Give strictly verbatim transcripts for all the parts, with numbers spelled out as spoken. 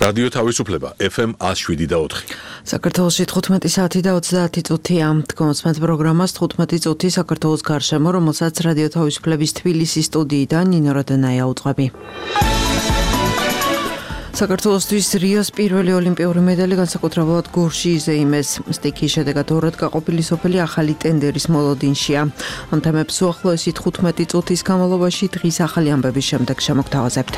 რადიო თავისუფლება ეფ ემ one oh seven და four. საქართველოში თხუთმეტი საათი და ოცდაათი წუთია. Თქვენს პროგრამას თხუთმეტი წუთი საქართველოს გარშემო, რომელსაც რადიო თავისუფლების თბილისის სტუდიიდან ნინო როდენაია უძღვები. საქართველოსთვის რიოს პირველი ოლიმპიური медаლი განსაკუთრებულად გორში იზეიმეს. სტიქიის შედეგად ორად გაყოფილი სოფელი ახალი ტენდერის მოლოდინშია. ამ თემებს უახლოესი თხუთმეტი წუთის განმავლობაში დღის ახალი ამბების შემდეგ შემოგთავაზებთ.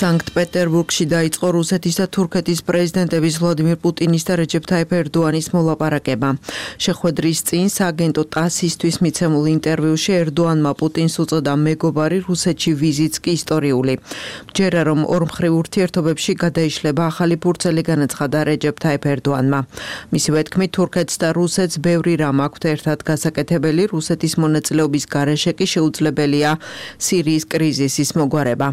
სანქტ-პეტერბურგში დაიწყო რუსეთის და თურქეთის პრეზიდენტების ვლადიმირ პუტინის და რეჯეფ თაიფ ერდოანის მოლაპარაკება. შეხვედრის წინ სააგენტო ტასისთვის მიცემულ ინტერვიუში ერდოანმა პუტინს უწოდა მეგობარი, რუსეთში ვიზიტს კი ისტორიული. ჯერა რომ ორმხრივ ურთიერთობებში გადაიშლება ახალი ფურცელი, განაცხადა რეჯეფ თაიფ ერდოანმა. მისივე თქმით, თურქეთს და რუსეთს ბევრი რამ აქვთ ერთად გასაკეთებელი, რუსეთის მონაწილეობის გარეშე კი შეუძლებელია სირიის კრიზისის მოგვარება.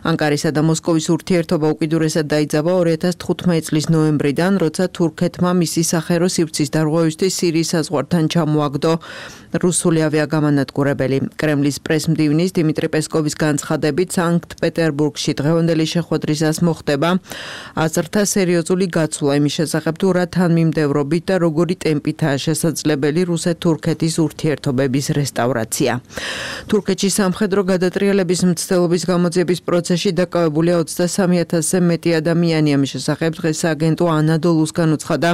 ანკარისა და მოსკოვის ურთიერთობა უკიდურესად დაიძაბა ორი ათას თხუთმეტი წლის ნოემბრიდან, როცა თურქეთმა მისი სახერო სივრცის დარღვევისთვის სირიის საზღვართან ჩამოაგდო რუსული ავიაგამანადგურებელი. კრემლის პრესმდივნის დიმიტრი პესკოვის განცხადებით, სანქტ-პეტერბურგში დღევანდელი შეხვედრისას მოხდება აზრთა სერიოზული გაცვლა იმის შესახებ, თუ რა თანმიმდევრობით და როგორი ტემპითაა შესაძლებელი რუსეთ-თურქეთის ურთიერთობების რესტავრაცია. თურქეთში სამხედრო გადატრიალების მცდელობის გამოძიების პროცესში დაკავებულია ოცდასამი ათასზე მეტი ადამიანი. ამის შესახებ დღეს აგენტო ანადოლუსგან უცხადა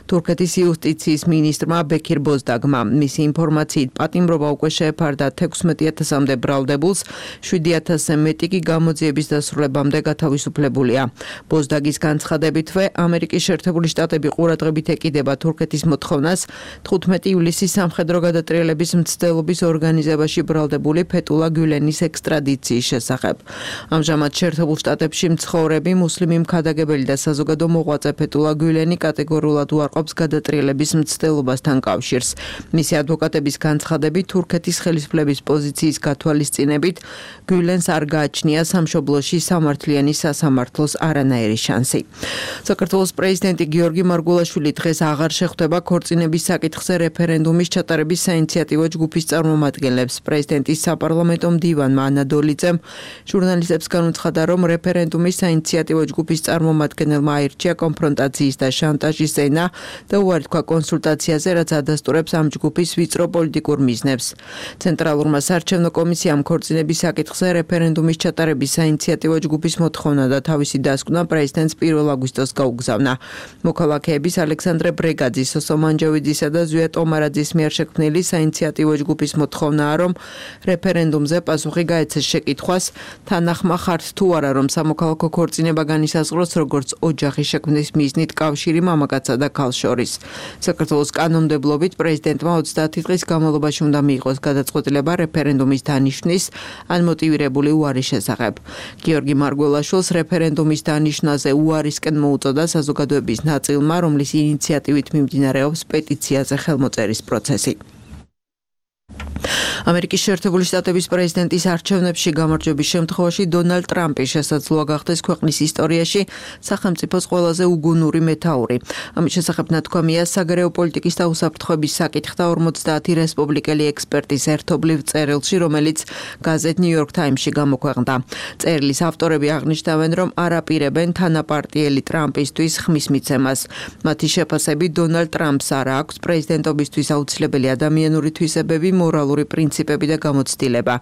თურქეთის იუსტიციის მინისტრმა ბექირ ბოზდაგმა. მისი ინფორმაციით პატიმრობა უკვე შეეფარდა თექვსმეტი ათასამდე ბრალდებულს, შვიდი ათასზე მეტი კი გამოძიების დასრულებამდე გათავისუფლებულია. ბოზდაგის განცხადებითვე, ამერიკის შეერთებული შტატები ყურადღებით ეკიდება თურქეთის მოთხოვნას თხუთმეტი ივლისის სამხედრო გადატრიალების მცდელობის ორგანიზებაში ბრალდებული ფეტულა გულენის ექსტრადიციის შესახებ. ამჟამად შეერთებულ შტატებში მცხოვრები მუსლიმი მქადაგებელი და საზოგადო მოღვაწე ფეტულა გულენი კატეგორიულად უარყოფს გადატრიალების მცდელობასთან კავშირს. მისი ადვოკატების განცხადებით, თურქეთის ხელისუფლების პოზიციის გათვალისწინებით გულენს არ გააჩნია სამშობლოში სამართლიანი სასამართლოს არანაირი შანსი. საქართველოს პრეზიდენტი გიორგი მარგულაშვილი დღეს აღარ შეხვდება ქორწინების საკითხზე რეფერენდუმის ჩატარების საინიციატივო ჯგუფის წარმომადგენლებს. პრეზიდენტის საპარლამენტო მდივანმა ანადოლიძემ ჟურნალისტებს განუცხადა, რომ რეფერენდუმის საინიციატივო ჯგუფის წარმომადგენელმა აირჩია კონფრონტაციის და შანტაჟის ენა და უარი თქვა კონსულტაციაზე, რაც ადასტურებს ამ ჯგუფის ვიწრო პოლიტიკურ მიზნებს. ცენტრალურმა საარჩევნო კომისიამ ქორწინების საკითხზე რეფერენდუმის ჩატარების საინიციატივო ჯგუფის მოთხოვნა და თავისი დასკვნა პრეზიდენტს პირველ აგვისტოს გაუგზავნა. მოქალაქეების ალექსანდრე ბრეგაძის, სოსო მანჯავიძისა და ზვია ტომარაძის მიერ შექმნილი საინიციატივო ჯგუფის მოთხოვნაა, რომ რეფერენდუმზე პასუხი გაეცეს შეკითხვას, თანახმა ხართ თუ არა, რომ სამოქალაქო ქორწინება განისაზღვროს როგორც ოჯახის შექმნის მიზნით კავშირი მამაკაცსა და ქალს შორის. საქართველოს კანონმდებლობით პრეზიდენტმა ოცდაათი დღის განმავლობაში უნდა მიიღოს გადაწყვეტილება რეფერენდუმის დანიშვნის ან მოტივირებული უარის შესახებ. გიორგი მარგველაშვილს რეფერენდუმის დანიშვნაზე უარისკენ მოუწოდა საზოგადოების ნაწილმა, რომლის ინიციატივით მიმდინარეობს პეტიციაზე ხელმოწერის პროცესი. ამერიკის შეერთებული შტატების პრეზიდენტის არჩევნებში გამარჯვების შემთხვევაში დონალდ ტრამპი შესაძლოა გახდეს ქვეყნის ისტორიაში სახელმწიფოს ყველაზე უგუნური მეთაური. ამის შესახებ ნათქვამია საგარეო პოლიტიკის და უსაფრთხოების საკითხთა ორმოცდაათი რესპუბლიკელი ექსპერტის ერთობლივ წერილში, რომელიც გაზეთ New York Times-ში გამოქვეყნდა. წერილის ავტორები აღნიშნავენ, რომ არ აპირებენ თანაპარტიელი ტრამპისთვის ხმის მიცემას. მათი შეფასებით, დონალდ ტრამპს არ აქვს პრეზიდენტობისთვის აუცილებელი ადამიანური თვისებები, მორალური პრინციპები და გამოცდილება.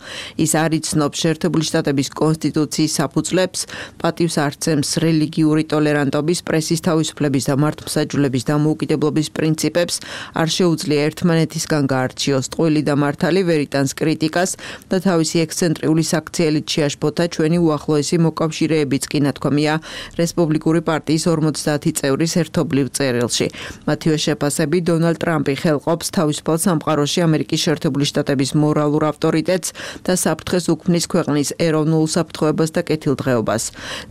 ის არ იცნობს შეერთებული შტატების კონსტიტუციის საფუძვლებს, პატივს არცემს რელიგიური ტოლერანტობის, პრესის თავისუფლების და მართლმსაჯულების დამოუკიდებლობის პრინციპებს, არ შეუძლია ერთმანეთისგან გაარჩიოს ტყუილი და მართალი, ვერ იტანს კრიტიკას და თავისი ექსცენტრიული საქციელით შეაშფოთა ჩვენი უახლოესი მოკავშირეებიც კი, ნათქვამია რესპუბლიკური პარტიის ორმოცდაათი წევრის ერთობლივ წერილში. მათივე შეფასებით, დონალდ ტრამპი ხელყოფს თავისუფალ სამყაროში ამერიკის შეერთებული შტატების მორალურ ავტორიტეტს და საფრთხეს უქმნის ქვეყნის ეროვნულ საფრთხოებას და კეთილდღეობას.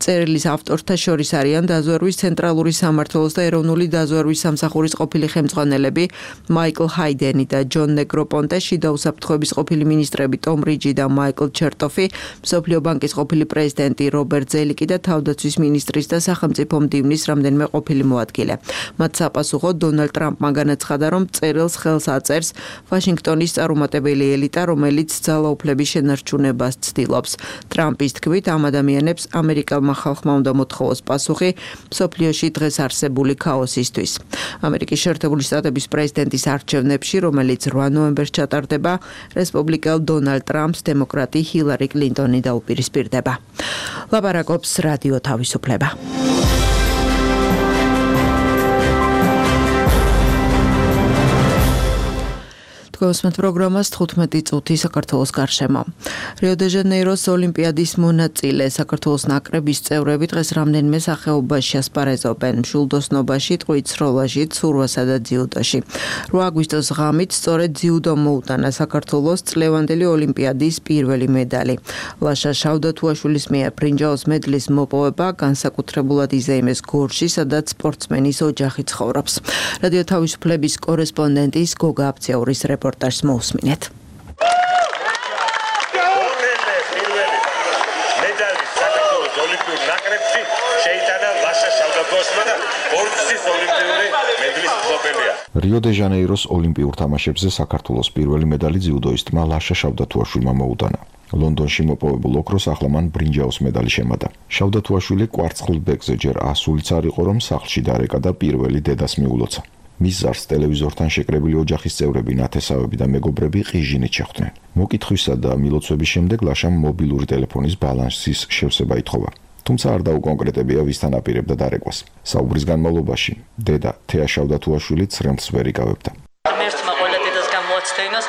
წერილის ავტორთა შორის არიან დაზვერვის ცენტრალური სამმართველოს და ეროვნული დაზვერვის სამსახურის ყოფილი ხელმძღვანელები მაიკლ ჰაიდენი და ჯონ ნეგროპონტე, შიდა უსაფრთხოების ყოფილი მინისტრები ტომ რიჯი და მაიკლ ჩერტოფი, მსოფლიო ბანკის ყოფილი პრეზიდენტი რობერტ ზელიკი და თავდაცვის მინისტრის და სახელმწიფო მდივნის რამდენიმე ყოფილი მოადგილე. მათ საპასუხოდ დონალდ ტრამპმა განაცხადა, რომ წერილს ხელს აწერს ვაშინგტონის წარუმატებელი ცნობილი ელიტა, რომელიც ძალაუფლების შენარჩუნებას ცდილობს. ტრამპის თქმით, ამ ადამიანებს ამერიკელმა ხალხმა უნდა მოთხოვოს პასუხი მსოფლიოში დღეს არსებული ქაოსისთვის. ამერიკის შეერთებული შტატების პრეზიდენტის არჩევნებში, რომელიც რვა ნოემბერს ჩატარდება, რესპუბლიკელ დონალდ ტრამპს დემოკრატი ჰილარი კლინტონი დაუპირისპირდება. ლაპარაკობს რადიო თავისუფლება. გოსმეთ პროგრამას თხუთმეტი წუთი საქართველოს გარშემო. რიო-დე-ჟანეიროს ოლიმპიადის მონაწილე საქართველოს ნაკრების წევრები დღეს რამდენიმე სახეობაში ასპარეზობენ. მშვილდოსნობაში, ტყვით სროლაში, ცურვასა და ძიუდოში. რვა აგვისტოს ღამით სწორედ ძიუდომ მოუტანა საქართველოს წლევანდელი ოლიმპიადის პირველი მედალი. ლაშა შავდათუაშვილის მიერ ბრინჯაოს მედლის მოპოვება განსაკუთრებულად იზეიმეს გორში, სადაც სპორტსმენის ოჯახი ცხოვრობს. რადიო თავისუფლების კორესპონდენტის გოგა აბცეურის რეპორტაჟი რეპორტაჟს მოусმინეთ. მედალი საქართველოს ოლიმპიურ ნაკრებში შეიტანა ლაშა შავდათუაშვილმა და ორგზის ოლიმპიური მედლის მფლობელია. რიო-დე-ჟანეიროს ოლიმპიურ თამაშებზე საქართველოს პირველი მედალი ძიუდოისტმა ლაშა შავდათუაშვილმა მოუტანა. ლონდონში მოპოვებულ ოქროს ახლა მან ბრინჯაოს მედალი შემატა. შავდათუაშვილი კვარცხლ ბეკზე ჯერ ასულიც არ იყო, რომ სახლში დარეკა და პირველი დედას მიულოცა. მის ზარს ტელევიზორთან შეკრებილი ოჯახის წევრები, ნათესავები და მეგობრები ყიჟინით შეხვდნენ. მოკითხვისა და მილოცვების შემდეგ ლაშამ მობილური ტელეფონის ბალანსის შევსება ითხოვა. თუმცა არ დაუკონკრეტებია, ვისთან აპირებდა დარეკვას. საუბრის განმავლობაში დედა თეა შავდათუაშვილი ცრემლს ვერ იკავებდა. ღმერთმა ყველა დედას გამოაცდენოს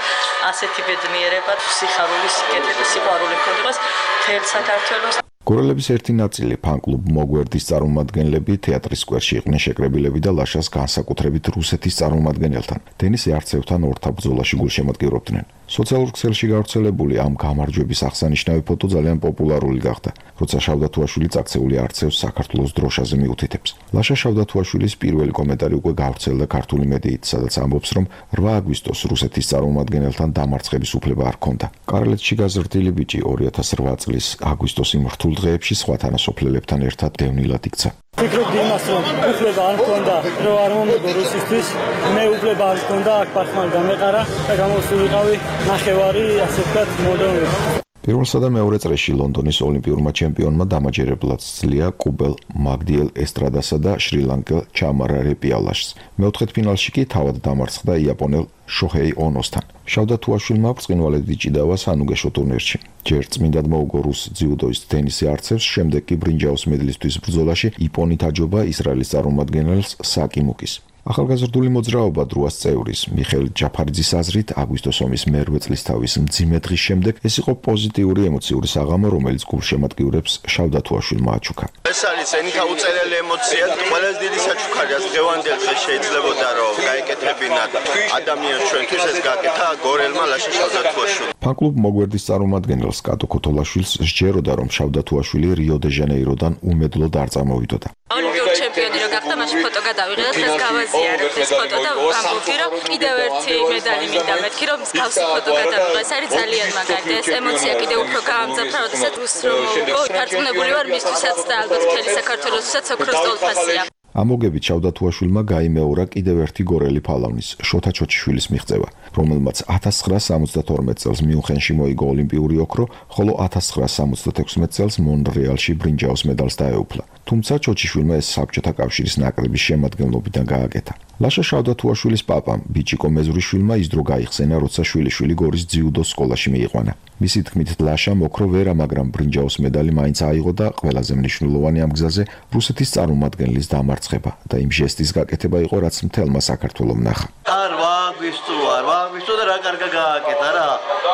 ასეთი ბედნიერება, სიხარული, სიკეთე და სიყვარული ჰქონდეს მთელ საქართველოს. გორელების ერთი ნაწილი ფან-კლუბ მოგვერდის წარმომადგენლები თეატრის სკვერში იყვნენ შეკრებილები და ლაშას განსაკუთრებით რუსეთის წარმომადგენელთან, დენის არცევთან ორთაბ ბრძოლაში გულშემატკივრობდნენ. სოციალურ ქსელში გავრცელებული ამ გამარჯვების აღსანიშნავი ფოტო ძალიან პოპულარული გახდა, როცა შავდათუაშვილი წაქცეული არცევს საქართველოს დროშაზე მიუთითებს. ლაშა შავდათუაშვილის პირველი კომენტარი უკვე გავრცელდა ქართული მედიით, სადაც ამბობს, რომ რვა აგვისტოს რუსეთის წარმომადგენელთან დამარცხების უფლება არ ჰქონდა. კარლეთში გაზრდილი ბიჭი ორი ათას რვა წლის აგვისტოს იმ რთულ დღეებში სხვა თანასოფლელებთან ერთად დევნილად იქცა. ვფიქრობდი იმას, რომ უფლება არ მქონდა, რომ არ მომიგო რუსისთვის, მე უფლება არ მქონდა, აქ პარხმან გამეყარა და გამოსულიყავი ნახევარი, ასე ვთქვათ, მოდრონი. პირველსა და მეორე წრეში ლონდონის ოლიმპიურმა ჩემპიონმა დამაჯერებლად სძლია კუბელ მაგდიელ ესტრადასა და შრი-ლანკელ ჩამარა რეპიალაშს. მეოთხედფინალში კი თავად დამარცხდა იაპონელ შოჰეი ონოსთან. შავდათუაშვილმა ბრწყინვალედ იჭიდავა სანუგეშო ტურნირში. ჯერ წმინდად მოუგო რუს ძიუდოისტ დენის არცევს, შემდეგ კი ბრინჯაოს მედლისთვის ბრძოლაში იპონით აჯობა ისრაელის წარმომადგენელს საკი მუკის. ახალგაზრდული მოძრაობა დროას წევრის მიხეილ ჯაფარიძის აზრით, აგვისტოს ომის მერვე წლისთავის მძიმე დღის შემდეგ ეს იყო პოზიტიური ემოციური საღამო, რომელიც გულშემატკივრებს შავდათუაშვილმა აჩუქა. ეს არის ენითა უწერელი ემოცია, ყველაზე დიდი საჩუქარია დღევანდელ დღეს შეიძლებოდა რომ გაეკეთებინათ ადამიანს ჩვენთვის ეს გააკეთა გორელმა ლაშა შავდათუაშვილმა. ფან-კლუბ მოგვერდის წარმომადგენელს კატო ქოთოლაშვილს სჯეროდა, რომ შავდათუაშვილი რიო-დე-ჟანეიროდან უმედლოდ არ წამოვიდოდა. ოლიმპიური ჩემპიონი რო გახდა, მაშინ ფოტო გადავიღე და დღეს გავაზიარებ ეს ფოტო და ამბობდი, რომ კიდევ ერთი მედალი მინდა მეთქი, რომ მსგავსი ფოტო გადავიღე. ეს არის ძალიან მაგარი და ეს ემოცია კიდევ უფრო გაამძაფრა, როდესაც რუს რომ მოვიგო. დარწმუნებული ვარ მისთვისაც და ალბათ მთელი საქართველოსთვისაც ოქროს ტოლფასია. ამოგებით შავდათუაშვილმა გაიმეორა კიდევ ერთი გორელი ფალავნის, შოთა ჩოჩიშვილის მიღწევა, რომელმაც ათას ცხრაას სამოცდათორმეტ წელს მიუნხენში მოიგო ოლიმპიური ოქრო, ხოლო ათას ცხრაას სამოცდათექვსმეტ წელს მონრეალში ბრინჯაოს მედალს დაეუფლა. თუმცა ჩოჩიშვილმა ეს საბჭოთა კავშირის ნაკრების შემადგენლობიდან გააკეთა. ლაშა შავდათუაშვილის პაპამ, ბიჭიკო მეზურიშვილმა ის დრო გაიხსენა, როცა შვილიშვილი გორის ძიუდოს სკოლაში მიიყვანა. მისი თქმით, ლაშამ ოქრო ვერა, მაგრამ ბრინჯაოს მედალი მაინც აიღო და ყველაზე მნიშვნელოვანი ამ გზაზე რუსეთის წარმომადგენლის დამარცხება და იმ ჟესტის გაკეთება იყო, რაც მთელმა საქართველომ ნახა. არ ვაგვისტო, არ ვაგვისტო და რა კარგა გააკეთა რა.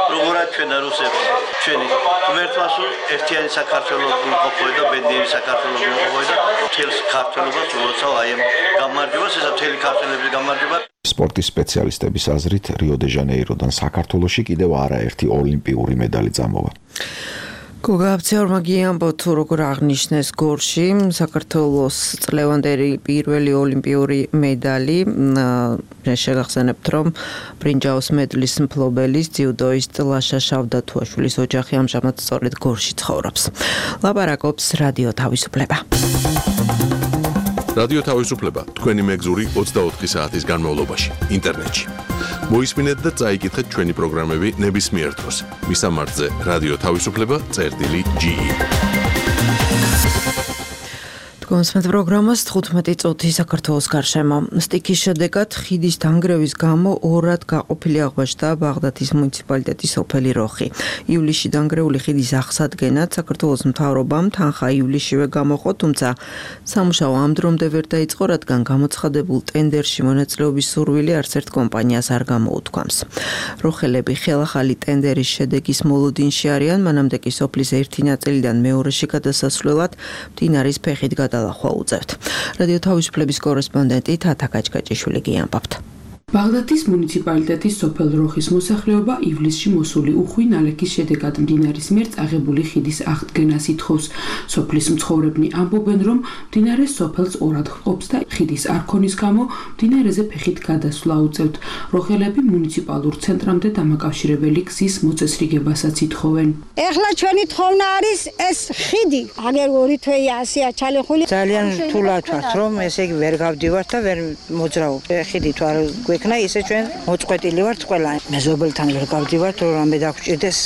როგორად ჩვენა რუსებს, ჩვენი ღმერთმას ერთიანი საქართველოს გულყოფოე და ბედნიერი საქართველოს გულყოფოე და მთელ საქართველოს უოცავ აი ამ გამარჯვებას, ესა მთელი ქართველების გამარჯვება. სპორტის სპეციალისტების აზრით, რიო-დე-ჟანეიროდან საქართველოში კიდევ არაერთი ოლიმპიური მედალი წამოვა. გოგა აბცეურმა გიამბო თუ როგორ აღნიშნეს გორში საქართველოს წლევანდელი პირველი ოლიმპიური მედალი. შეგახსენებთ, რომ ბრინჯაოს მედლის მფლობელის ძიუდოისტ ლაშა შავდათუაშვილის ოჯახი ამჟამად სწორედ გორში ცხოვრობს. ლაპარაკობს რადიო თავისუფლება. რადიო თავისუფლება თქვენი მეგზური ოცდაოთხი საათის განმავლობაში ინტერნეტში. მოისმინეთ და წაიკითხეთ ჩვენი პროგრამები ნებისმიერ დროს. მისამართზე რადიო თავისუფლება წერტილი ჯი. კონსმეთ პროგრამას თხუთმეტი წუთი საქართველოს გარშემო. სტიქის შედეგად ხიდის დანგრევის გამო ორად გაყოფილი აღმოჩნდა ბაღდათის მუნიციპალიტეტის სოფელი როხი. ივლისში დანგრეული ხიდის აღსადგენად საქართველოს მთავრობამ თანხა ივლისშივე გამოყო, თუმცა სამუშაო ამ დრომდე ვერ დაიწყო, რადგან გამოცხადებულ ტენდერში მონაწილეობის სურვილი არც ერთ კომპანიას არ გამოუთქვამს. როხელები ხელახალი ტენდერის შედეგის მოლოდინში არიან, მანამდე კი სოფლის ერთი ნაწილიდან მეორეში გადასასვლელად მდინარის ფეხით გადა ლახვა უწევთ. რადიო თავისუფლების კორესპონდენტი თათა გაჭგაჭიშვილი გიამბობთ. ბაღდათის მუნიციპალიტეტის სოფელ როხის მოსახლეობა ივლისში მოსული უხვი ნალექის შედეგად მდინარის მიერ წაღებული ხიდის აღდგენას ითხოვს. სოფლის მცხოვრებნი ამბობენ, რომ მდინარე სოფელს ორად ჰყოფს და ხიდის არქონის გამო მდინარეზე ფეხით გადასვლა უწევთ. როხელები მუნიციპალურ ცენტრამდე დამაკავშირებელი გზის მოწესრიგებასაც ითხოვენ. ეხლა ჩვენი თხოვნა არის ეს ხიდი. აგერ ორი თვეა ასეა ჩალეხული. ძალიან რთულად ვართ, რომ ესე იგი ვერ გავდივართ და ვერ მოძრაობ. ხიდი თუ არ იქნა ისე ჩვენ მოწყვეტილი ვართ ყველა. მეზობელთან ვერ გავდივართ, რომ რამე დაგჭირდეს,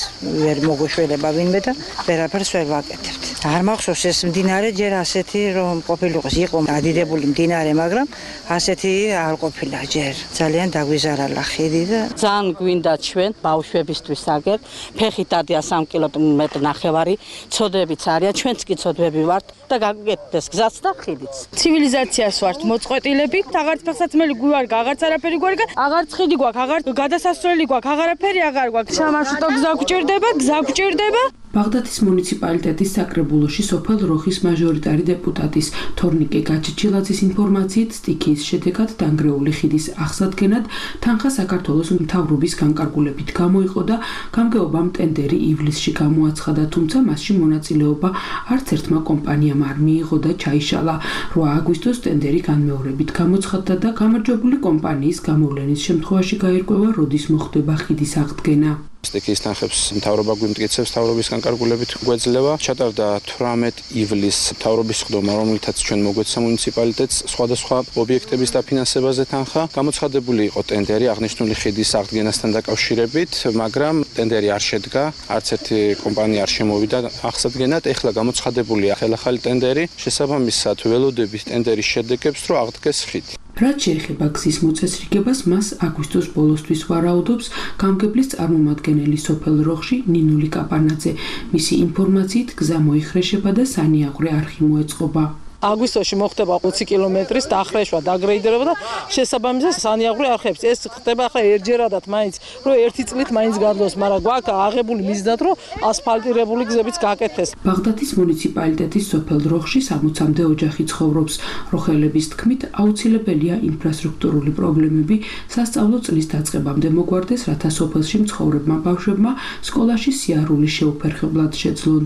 ვერ მოგოშველება ვინმე და ვერაფერს ვერ ვაკეთებთ. არ მახსოვს ეს მდინარე ჯერ ასეთი რომ ყოფილიყოს, იყო ადიდებული მდინარე, მაგრამ ასეთი არ ყოფილა ჯერ. ძალიან დაგვიზარალა ხიდი და ძალიან გვინდა ჩვენ ბავშვებისთვის აგერ, ფეხით ადია სამი კილომეტრი ნახევარი, ცოდებიც არიან, ჩვენც კი ცოდები ვართ და გაგეკეთდეს გზაც და ხიდიც. ცივილიზაციას ვართ მოწყვეტილები, აღარც ფეხსაცმელი გვარგა, აღარც არაფერი გვარგა, აღარც ხიდი გვაქვს, აღარ გადასასვლელი გვაქვს, აღარაფერი აღარ გვაქვს. სამარშრუტო გზა გვჭირდება, გზა გვჭირდება. ბაღდათის მუნიციპალიტეტის საკრებულოში სოფელ როხის მაჟორიტარი დეპუტატის თორნიკე გაჩიჩილაძის ინფორმაციით სტიქიის შედეგად დანგრეული ხიდის აღსადგენად თანხა საქართველოს მთავრობის განკარგულებით გამოიყო და გამგეობამ ტენდერი ივლისში გამოაცხადა, თუმცა მასში მონაწილეობა არც ერთმა კომპანიამ არ მიიღო და ჩაიშალა. რვა აგვისტოს ტენდერი განმეორებით გამოცხადდა და გამარჯვებული კომპანიის გამოვლენის შემთხვევაში გაირკვევა, როდის მოხდება ხიდის აღდგენა. სტიქიის თანხებს მთავრობა გვიმტკიცებს, მთავრობის განკარგულებით გვეძლევა. ჩატარდა თვრამეტი ივლისს მთავრობის სხდომა, რომლითაც ჩვენ მოგვეცა მუნიციპალიტეტს სხვადასხვა ობიექტების დაფინანსებაზე თანხა. გამოცხადებული იყო ტენდერი აღნიშნული ხიდის აღდგენასთან დაკავშირებით, მაგრამ ტენდერი არ შედგა, არც ერთი კომპანია არ შემოვიდა აღსადგენად. ეხლა გამოცხადებულია ხელახალი ტენდერი, შესაბამისად ველოდებით ტენდერის შედეგებს, რომ აღდგეს ხიდი. რაც შეეხება გზის მოწესრიგებას, მას აგვისტოს ბოლოსთვის ვარაუდობს გამგებლის წარმომადგენელი სოფელ როხში ნინული კაპანაძე. მისი ინფორმაციით გზა მოიხრეშება და სანიაღვრე არხი მოეწყობა. აგვისტოში მოხდება ოცი კილომეტრის დახრეშვა, დაგრეიდერება და შესაბამისად სანიაღვრე არხებს. ეს ხდება ახლა ერთჯერადად მაინც, რომ ერთი წლით მაინც გარდოს, მაგრამ გვაქვს აღებული მიზნად, რომ ასფალტირებული გზებიც გაკეთდეს. ბაღდათის მუნიციპალიტეტის სოფელ როხში სამოცამდე ოჯახი ცხოვრობს. როხელების თქმით, აუცილებელია ინფრასტრუქტურული პრობლემები სასწავლო წლის დაწყებამდე მოგვარდეს, რათა სოფელში მცხოვრებმა ბავშვებმა სკოლაში სიარული შეუფერხებლად შეძლონ.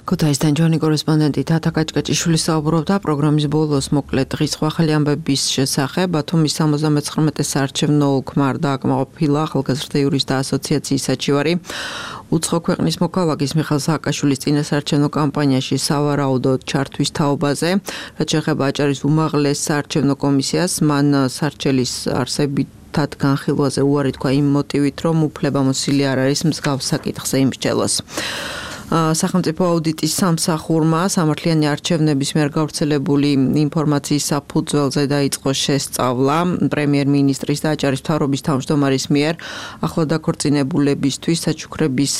ქუთაისთან ჯონი კორესპონდენტი თათა გაჭგაჭიშვილი საუბრობდა პროგრამის ბოლოს მოკლედ დღის ახალი ამბების შესახებ. ბათუმის სამოცდამეცხრამეტე საარჩევნო ოლქმა დააკმაყოფილა ახალგაზრდა იურისტთა ასოციაციის საჩივარი. უცხო ქვეყნის მოქალაქის მიხეილ სააკაშვილის წინასაარჩევნო კამპანიაში სავარაუდოდ ჩართვის თაობაზე, რაც შეეხება აჭარის უმაღლეს საარჩევნო კომისიას, მან სარჩელის არსებით თად განხილვაზე უარი თქვა იმ მოტივით, რომ უფლებამოსილი არ არის მსგავს საკითხზე იმსჯელოს. სახელმწიფო აუდიტის სამსახურმა სამართლიანი არჩევნების მიერ გავრცელებული ინფორმაციის საფუძველზე დაიწყო შესწავლა პრემიერ-მინისტრის და აჭარის მთავრობის თავმჯდომარის მიერ ახლად დაქორწინებულებისთვის საჩუქრების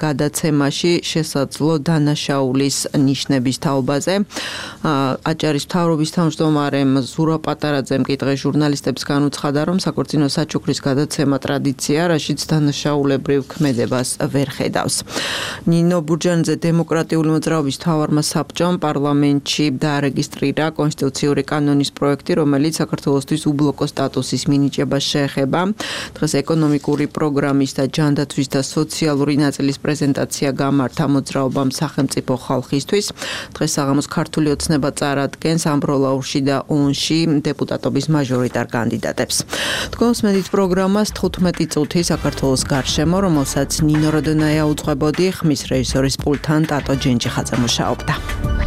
გადაცემაში შესაძლო დანაშაულის ნიშნების თაობაზე. აჭარის მთავრობის თავმჯდომარემ ზურა პატარაძემ კითხე ჟურნალისტებს განუცხადა, რომ საქორწინო საჩუქრის გადაცემა ტრადიცია, რაშიც დანაშაულებრივ ქმედებას ვერ ხედავს. ნინო ბურჯანიძე დემოკრატიული მოძრაობის მთავარმა საბჭომ პარლამენტში დაარეგისტრირა კონსტიტუციური კანონის პროექტი, რომელიც საქართველოსთვის უბლოკო სტატუსის მინიჭებას შეეხება. დღეს ეკონომიკური პროგრამის და ჯანდაცვის და სოციალური ნაწილის პრეზენტაცია გამართა მოძრაობამ სახელმწიფო ხალხისთვის. დღეს საღამოს ქართული ოცნება წარადგენს ამბროლაურში და ონში დეპუტატობის მაჟორიტარ კანდიდატებს. თქვენს მედით პროგრამას თხუთმეტი წუთი საქართველოს გარშემო, რომელსაც ნინო როდონაია უძღვებოდი, ხმის რეჟისორის პულტთან ტატო ჯენჯიხაძე მუშაობდა.